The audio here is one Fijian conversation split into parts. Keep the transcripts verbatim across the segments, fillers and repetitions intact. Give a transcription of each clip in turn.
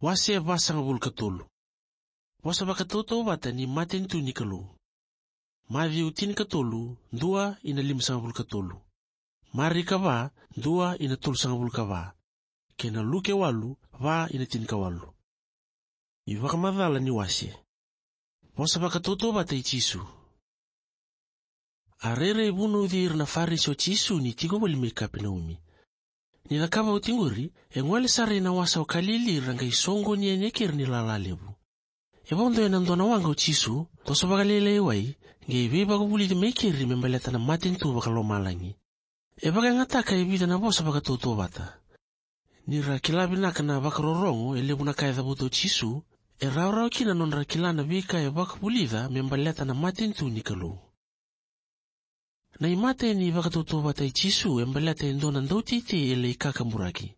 Wase vasagavulu ka tolu. Vosa vakatautauvata ni matanitu ni Kalou. Maciu tinikatolu, dua ina limasagavulu ka tolu. Marika va, dua ina tolusagavulu ka va. Kei na Luke walu, va ina tinikawalu. iVakamacala ni wase. Vosa vakatautauvata i Jisu. A rairai vunauci ira na Farisi o Jisu ni tiko voli mai Kapenaumi. Ni cakava oti qori, e gole sara ina wasa o Kalili ra qai soqoni yani e keri ni lala levu. E vodo ena dua na waqa o Jisu, toso vakalailai wai, qai veivakavulici mai keri me baleta na matanitu vakalomalagi. E vakayagataka e vica na vosa vakatautauvata. Ni ra kila vinaka na vakarorogo e levu na ka e cavuta o Jisu, e rawarawa kina nodra kila na veika e vakavulica me baleta na matanitu ni Kalou. Na imatai ni vakatautauvata i Jisu e baleta e dua na dauteitei e lai kakaburaki.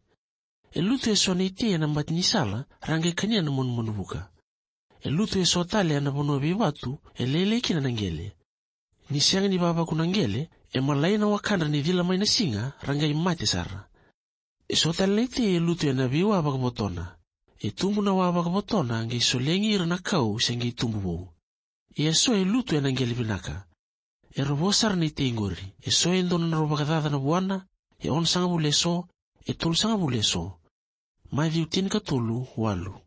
E lutu eso na itei ena bati ni sala, ra qai kania na manumanu vuka. E lutu eso tale ena vanua veivatu, e lailai kina na qele. Ni sega ni vavaku na qele, e malai na wakadra ni cila mai na siga, ra qai mate sara. Eso tale na itei e lutu ena veiwa vakavotona. E tubu na wa vakavotona, qai solegi ira na kau se qai tubu vou. Ia eso e lutu ena qele vinaka. E ra vo sara na itei qori. Eso e dua na drau vakacaca na vuana, e onosagavulu eso, e tolusagavulu eso. Maciu tinikatolu, walu.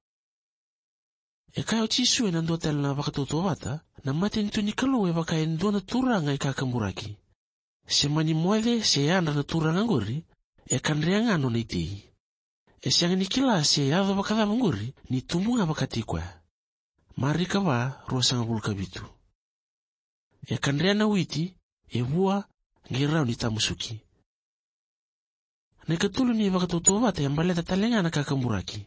E kaya o Jisu ena dua tale na vakatautauvata, na matanitu ni Kalou e vaka e dua na turaga e kakaburaki. Se mani moce, se yadra na turaga qori, e kadrea ga nona itei. E sega ni kila se yaco vakacava qori, ni tubu ga vakataki koya. Marika va, ruasagavulu ka vitu. E kadrea na witi, e vua, qai rawa ni tamusuki. Na ikatolu ni vakatautauvata e baleta tale ga na kakaburaki.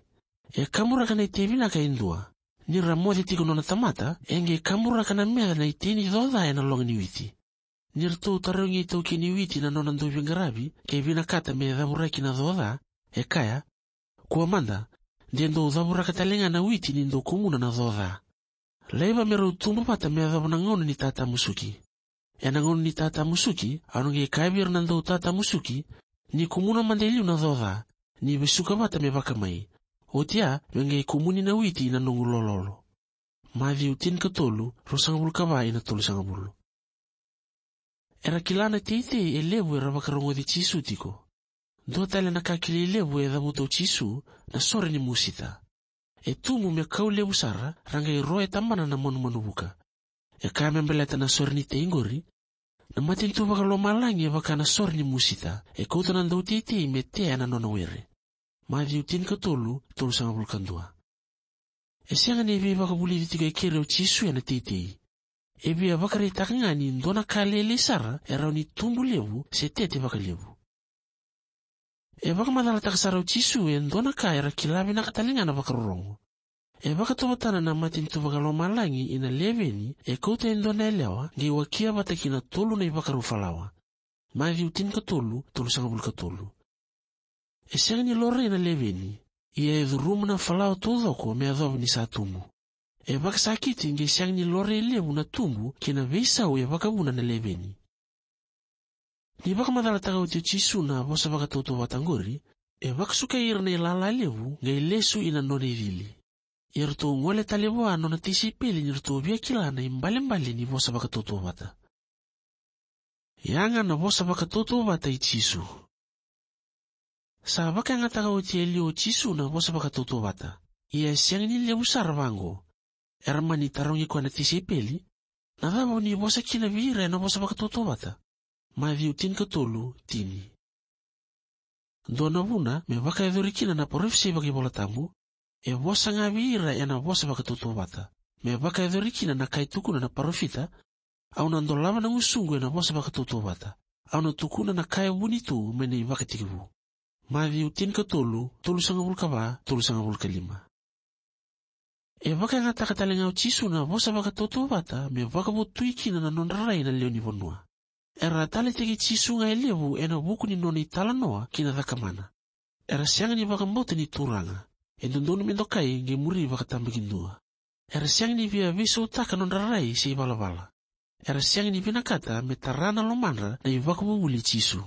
E kaburaka na itei vinaka e dua. Ni ra moce tiko nona tamata, e qai kaburaka na meca na itei ni coca ena loga ni witi. Ni ratou tarogi itaukei ni witi na nona dauveiqaravi, ke vinakata me cavuraki na coca, e kaya, kua mada, de dou cavuraka tale ga na witi ni dou kumuna na coca. Laiva me rau tubu vata me yacova na gauna ni tatamusuki. Ena gauna ni tatamusuki, au na qai kaya vei ira na dau tatamusuki, ni kumuna mada e liu na coca, ni vesuka vata me vakamai. Oti ya, me qai kumuni na witi ina noqu lololo. Maciu tinikatolu, ruasagavulu ka va ina tolusagavulu. Era kila na teitei e levu era vakarogoci Jisu tiko. Dua tale na ka kilai levu e cavuta o Jisu, na sore ni musita. E tubu me kau levu sara, ra qai ro e tabana na manumanu vuka. E kaya me baleta na sore ni tei qori, na matanitu vakalomalagi e vaka na sore ni musita, e kauta na dauteitei me tea ena nona were. Maciu tinikatolu, tolusagavulu ka dua. E sega ni veivakavulici tiko e keri o Jisu ena teitei. E via vakaraitaka ga ni dua na ka lailai sara e rawa ni tubu levu se tete vakalevu. E vakamacalataka sara o Jisu e dua na ka era kila vinaka tale ga na vakarorogo. E vakatauvatana na matanitu vakalomalagi ina leveni e kauta e dua na yalewa qai wakia vata kina tolu na ivakarau falawa. Maciu tinikatolu, tolusagavulu ka tolu. E sega ni laurai na leveni, ia e curuma na falawa taucoko me yacova ni sa tubu. E vakasakiti qai sega ni laurai levu na tubu kei na veisau e vakavuna na leveni. Ni vakamacalataka oti o Jisu na vosa vakatautauvata qori, e vakasukai ira na ilala levu qai lesu ina nona icili. Ia ratou gole tale vua nona tisaipeli ni ratou via kila na ibalebale ni vosa vakatautauvata. Ia ga na vosa vakatautauvata i Jisu. Sa vakayagataka oti e liu o Jisu na vosa vakatautauvata. Ia e sega ni levu sara vaqo. Era mani tarogi koya na tisaipeli, na cava o ni vosa kina vei ira ena vosa vakatautauvata? Maciu tinikatolu, tini. Dua na vuna me vakayacori kina na parofisai vakaivolatabu, e vosa ga vei ira ena vosa vakatautauvata. Me vakayacori kina na ka e tukuna na parofita, au na dolava na gusuqu ena vosa vakatautauvata. Au na tukuna na ka e vuni tu mai na ivakatekivu. Maciu tinikatolu, tolusagavulu ka va, tolusagavulu ka lima. E vakayagataka tale ga o Jisu na vosa vakatautauvata me vakavotui kina na nodra rai na lewe ni vanua. Era taleitaki Jisu ga e levu ena vuku ni nona italanoa kei na cakamana. Era sega ni vakabauta ni Turaga. E dodonu me dokai qai muri vakatabakidua. Era sega ni via veisautaka nodra rai se ivalavala. Era sega ni vinakata me tara na lomadra na ivakavuvuli i Jisu.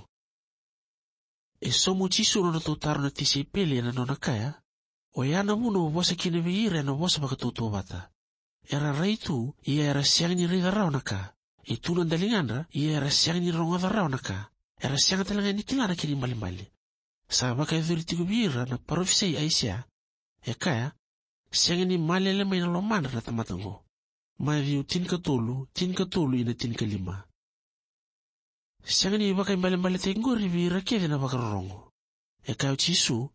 E sauma o Jisu na nodratou taro na tisaipeli ena nona kaya, Oya na vuna au vosa kina vei ira ena vosa vakatautauvata. Era rai tu, ia era sega ni raica rawa na ka. E tu na daligadra, ia era sega ni rogoca rawa na ka. Era sega tale ga ni kila na kena ibalebale. Sa vakayacori tiko vei ira na parofisai Aisea, e kaya: "Sega ni malele mai na lomadra na tamata oqo." Maciu tinikatolu, tinikatolu ina tinikalima. Sega ni vakaibalebaletaki qori vei ira kece na vakarorogo. E kaya o Jisu: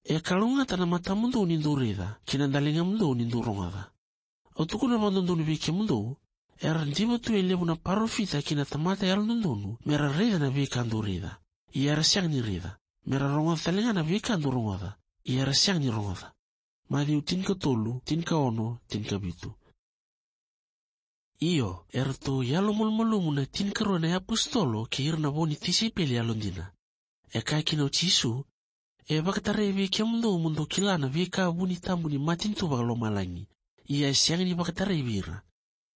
"E kalougata na matamudou ni dou raica, kei na daligamudou ni dou rogoca. Au tukuna vakadodonu vei kemudou, era diva tu e levu na parofita kei na tamata yalododonu mera raica na veika dou raica, ia era sega ni raica, mera rogoca tale ga na veika dou rogoca, ia era sega ni rogoca." Maciu tinikatolu, tinikaono, tinikavitu. Io, eratou yalomalumalumu na tinikarua na iapositolo kei ira na vo ni tisaipeli yalodina. E kaya kina o Jisu: "E vakatarai vei kemudou mo dou kila na veika vuni tabu ni matanitu vakalomalagi, ia e sega ni vakatarai vei ira."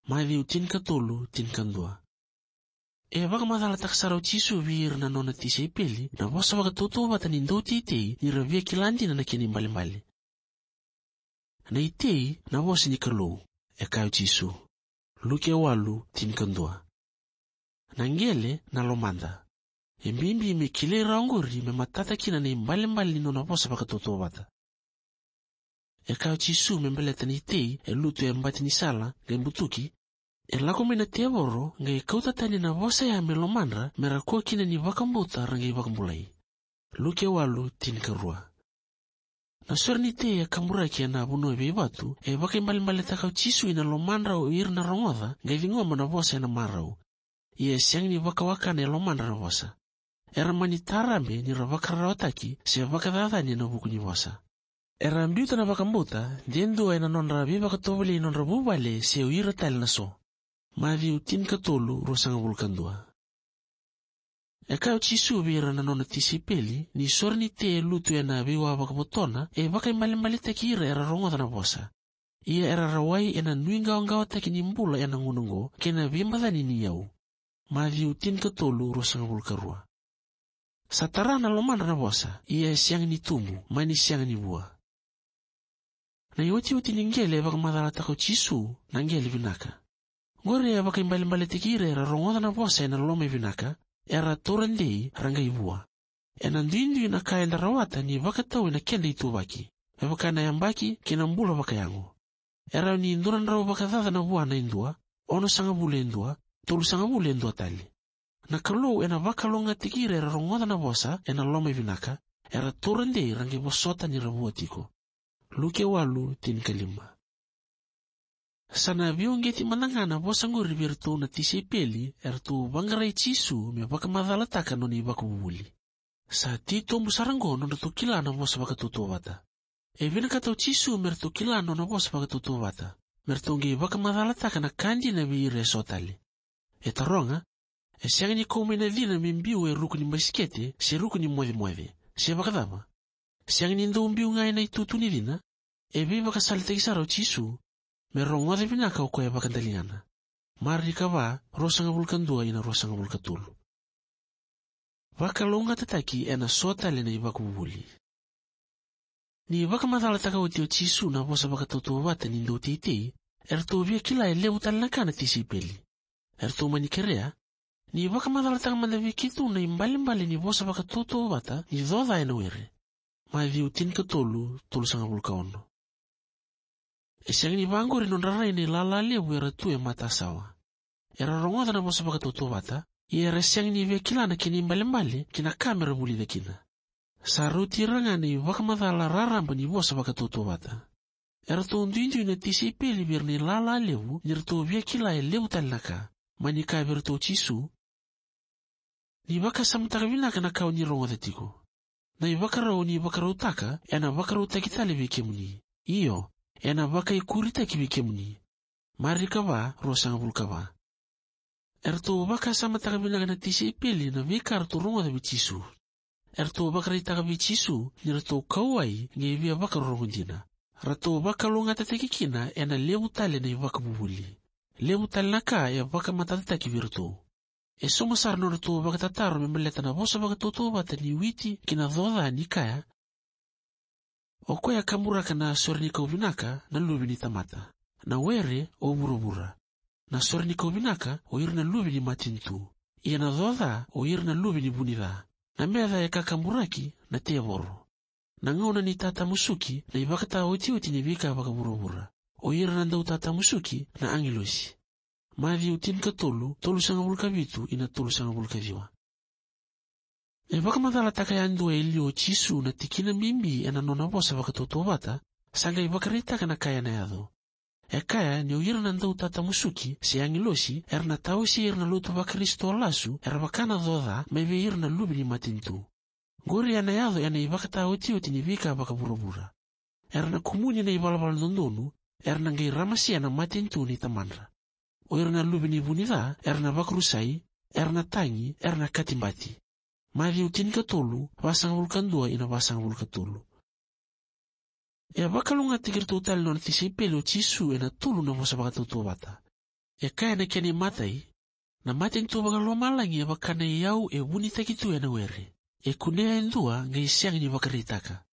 Maciu tinikatolu, tinikadua. E vakamacalataka sara o Jisu vei ira na nona tisaipeli na vosa vakatautauvata ni dauteitei ni ra via kila dina na kena ibalebale. "Na itei na vosa ni Kalou," e kaya o Jisu. Luke walu, tinikadua. "Na qele na lomada." E bibi me kilai rawa oqori me matata kina na ibalebale ni nona vosa vakatautauvata. E kaya o Jisu me baleta na itei e lutu e bati ni sala qai butuki, e lako mai na tevoro qai kauta tani na vosa ya me lomadra, mera kua kina ni vakabauta ra qai vakabulai. Luke walu, tinikarua. Na sore ni tei e kaburaki ena vanua veivatu e vakaibalebaletaka o Jisu ina lomadra o ira na rogoca qai ciqoma na vosa ena marau. Ia e sega ni vakawakana e lomadra na vosa. Era mani tarabe ni ra vakararawataki se vakacacani ena vuku ni vosa. Era biuta na vakabauta de dua ena nodra veivakatovolei nodra vuvale se o ira tale na so. Maciu tinikatolu, ruasagavulu ka dua. E kaya o Jisu vei ira na nona tisaipeli ni sore ni tei e lutu ena veiwa vakavotona e vakaibalebaletaki ira era rogoca na vosa. Ia era rawai ena nuiqawaqawataki ni bula ena gauna oqo kei na veimacani ni yau. Maciu tinikatolu, ruasagavulu ka rua. Sa tara na lomadra na vosa, ia e sega ni tubu, mani sega ni vua. Na iotioti ni qele e vakamacalataka o Jisu na qele vinaka. Qori e vakaibalebaletaki ira era rogoca na vosa ena loma e vinaka, era taura dei ra qai vua. Ena duidui na ka eda rawata ni vakatau ena keda ituvaki, me vaka na yabaki kei na bula vakayago. E rawa ni dua na drau vakacaca na vuana e dua, onosagavulu e dua, tolusagavulu e dua tale. Na Kalou ena vakalougatataki ira era rogoca na vosa ena loma e vinaka, era taura dei ra qai vosota ni ra vua tiko. Luke walu, tinikalima. Sa na veiuqeti mada ga na vosa qori vei iratou na tisaipeli eratou vaqarai Jisu me vakamacalataka nona ivakavuvuli. Sa titobu sara oqo nodratou kila na vosa vakatautauvata. E vinakata o Jisu me ratou kila nona vosa vakatautauvata, me ratou qai vakamacalataka na ka dina vei ira eso tale. E taroga: "E sega ni kau mai na cina me biu e ruku ni basikete se ruku ni mocemoce, se vakacava? Sega ni dau biu ga ena itutu ni cina?" E veivakasalataki sara o Jisu me rogoca vinaka o koya e vakadaligana. Marika va, ruasagavulu ka dua ina ruasagavulu ka tolu. Vakalougatataki ena so tale na ivakavuvuli. Ni vakamacalataka oti o Jisu na vosa vakatautauvata ni dauteitei, eratou via kila e levu tale na ka na tisaipeli. Eratou mani kerea: "Ni vakamacalataka mada vei keitou na ibalebale ni vosa vakatautauvata ni coca ena were." Maciu tinikatolu, tolusagavulu ka ono. E sega ni vaqori nodra rai na ilala levu era tu e matasawa. Era rogoca na vosa vakatautauvata, ia era sega ni via kila na kena ibalebale kei na ka mera vulica kina. Sa rauti ira ga na ivakamacala raraba ni vosa vakatautauvata. Eratou duidui na tisaipeli vei ira na ilala levu ni ratou via kila e levu tale na ka. Mani kaya vei iratou o Jisu: "Ni vakasamataka vinaka na ka o ni rogoca tiko. Na ivakarau o ni vakarautaka ena vakarautaki tale vei kemuni. Io, ena vakaikuritaki vei kemuni." Marika va, ruasagavulu ka va. Eratou vakasamataka vinaka na tisaipeli na veika ratou rogoca vei Jisu. Eratou vakaraitaka vei Jisu ni ratou kauwai qai via vakarorogo dina. Ratou vakalougatataki kina ena levu tale na ivakavuvuli. Levu tale na ka e vakamatatataki vei iratou. E sauma sara nodratou vakatataro me baleta na vosa vakatautauvata ni witi kei na coca ni kaya: O koya e kaburaka na sore ni kau vinaka na luve ni tamata. Na were o vuravura. Na sore ni kau vinaka o ira na luve ni matanitu. Ia na coca o ira na luve ni vunica. Na meca e kakaburaki na tevoro. Na gauna ni tatamusuki na ivakataotioti ni veika vakavuravura. O ira na dau tatamusuki na agilosi. Maciu tinikatolu, tolusagavulu ka vitu ina tolusagavulu ka ciwa. E vakamacalataka yadua e liu o Jisu na tikina bibi ena nona vosa vakatautauvata, sa qai vakaraitaka na ka ena yaco. E kaya ni o ira na dau tatamusuki se agilosi era na tawasei ira na lotu vaKarisito lasu era vaka na coca mai vei ira na luve ni matanitu. Qori ena yaco ena ivakataotioti ni veika vakavuravura. Era na kumuni na ivalavala dodonu, era na qai ramasea na matanitu ni tamadra. O ira na luve ni vunica era na vakarusai, era na tagi, era na katibati. Maciu tinikatolu, vasagavulu ka dua ina vasagavulu ka tolu. E vakalougatataki iratou tale na nona tisaipeli o Jisu ena tolu na vosa vakatautauvata. E kaya na kena imatai, na matanitu vakalomalagi e vaka na iyau e vunitaki tu ena were. E kunea e dua qai sega ni vakaraitaka.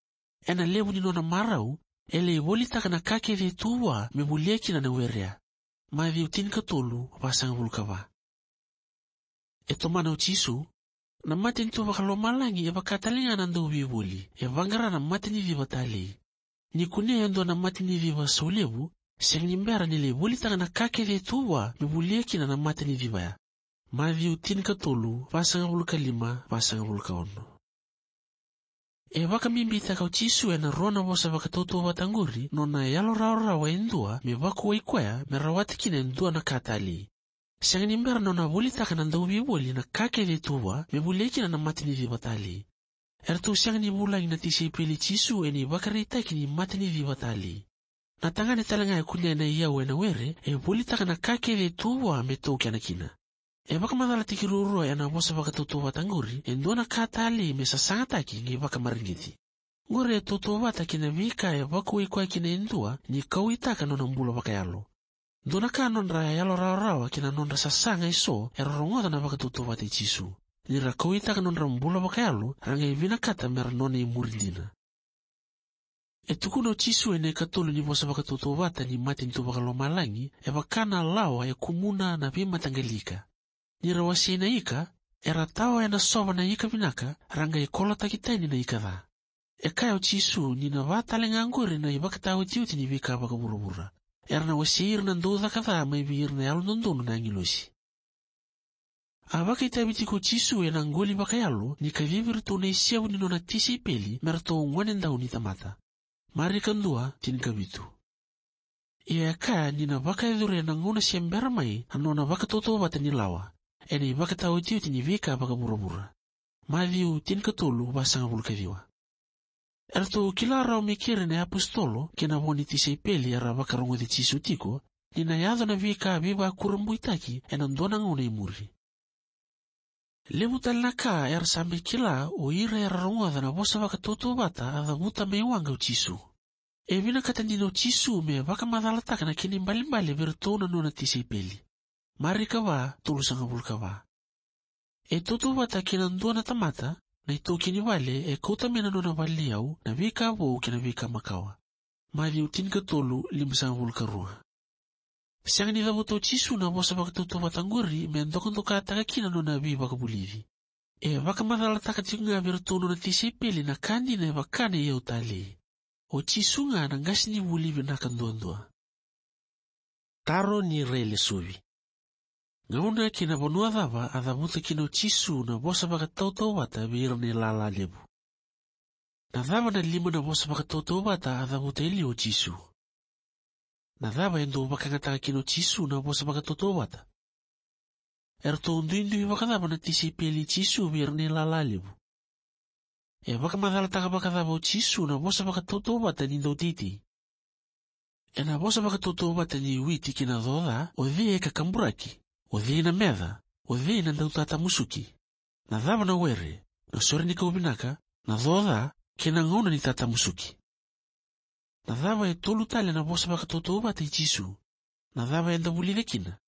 Ena levu ni nona marau, e lai volitaka na ka kece e tu vua me volia kina na werea. Maciu tinikatolu, vasagavulu ka va. E tomana o Jisu, na matanitu vakalomalagi e vaka tale ga na dauveivoli e vaqara na mataniciva talei. Ni kunea e dua na mataniciva saulevu, sega ni bera ni lai volitaka na ka kece e tu vua me volia kina na mataniciva ya. Maciu tinikatolu, vasagavulu ka lima, vasagavulu ka ono. E vakabibitaka o Jisu ena rua na vosa vakatautauvata qori nona yalorawarawa e dua me vakuai koya me rawata kina e dua na ka talei. Sega ni bera nona volitaka na dauveivoli na ka kece e tu vua me volia kina na mataniciva talei. Eratou sega ni vulagi na tisaipeli i Jisu ena ivakaraitaki ni mataniciva talei. Na tagane tale ga e kunea na iyau ena were e volitaka na ka kece e tu vua me taukena kina. E vakamacalataki ruarua ena vosa vakatautauvata qori e dua na ka talei me sasagataki qai vakamareqeti. Qori e tautauvata kei na veika e vakuai koya kina e dua ni kauwaitaka nona bula vakayalo. Dua na ka nodra yalorawarawa kei na nodra sasaga eso era rogoca na vakatautauvata i Jisu. Ni ra kauwaitaka nodra bula vakayalo, ra qai vinakata mera nona imuri dina. E tukuna o Jisu ena ikatolu ni vosa vakatautauvata ni matanitu vakalomalagi e vaka na lawa e kumuna na veimataqali ika. Ni ra wasei na ika, era tawa ena sova na ika vinaka, ra qai kolotaki tani na ika ca. E kaya o Jisu ni na vaka tale ga qori na ivakataotioti ni veika vakavuravura. Era na wasei ira na daucaka ca mai vei ira na yalododonu na agilosi. A vakaitavi tiko o Jisu ena qoli vakayalo ni kacivi iratou na isevu ni nona tisaipeli me ratou gonedau ni tamata. Marika dua, tinikavitu. Ia e kaya ni na vakayacori ena gauna se bera mai na nona vakatautauvata ni lawa, ena ivakataotioti ni veika vakavuravura. Maciu tinikatolu, vasagavulu ka ciwa. Eratou kila rawa mai keri na iapositolo kei na vo ni tisaipeli era vakarogoci Jisu tiko ni na yaco na veika veivakurabuitaki ena dua na gauna e muri. Levu tale na ka era sa mai kila o ira era rogoca na vosa vakatautauvata a cavuta mai waqa o Jisu. E vinakata dina o Jisu me vakamacalataka na kena ibalebale vei iratou na nona tisaipeli. Marika va, tolusagavulu ka va. E tautauvata kei na dua na tamata, na itaukei ni vale e kauta mai na nona vale ni yau na veika vou kei na veika makawa. Maciu tinikatolu, limasagavulu ka rua. Sega ni cavuta o Jisu na vosa vakatautauvata qori me dokadokataka kina nona veivakavulici. E vakamacalataka tiko ga vei iratou nona tisaipeli na ka dina e vaka na iyau talei. O Jisu ga na qasenivuli vinaka duadua. Taro ni railesuvi. Gauna kei na vanua cava a cavuta kina o Jisu na vosa vakatautauvata vei ira na ilala levu? Na cava na lima na vosa vakatautauvata a cavuta e liu o Jisu? Na cava e dau vakayagataka kina o Jisu na vosa vakatautauvata? Eratou duidui vakacava na tisaipeli i Jisu vei ira na ilala levu? E vakamacalataka vakacava o Jisu na vosa vakatautauvata ni dauteitei? Ena vosa vakatautauvata ni witi kei na coca, o cei e kakaburaki? O cei na meca? O cei na dautatamusuki? Na cava na were? Na sore ni kau vinaka, na coca, kei na gauna ni tatamusuki? Na cava e tolu tale na vosa vakatautauvata i Jisu? Na cava eda vulica kina?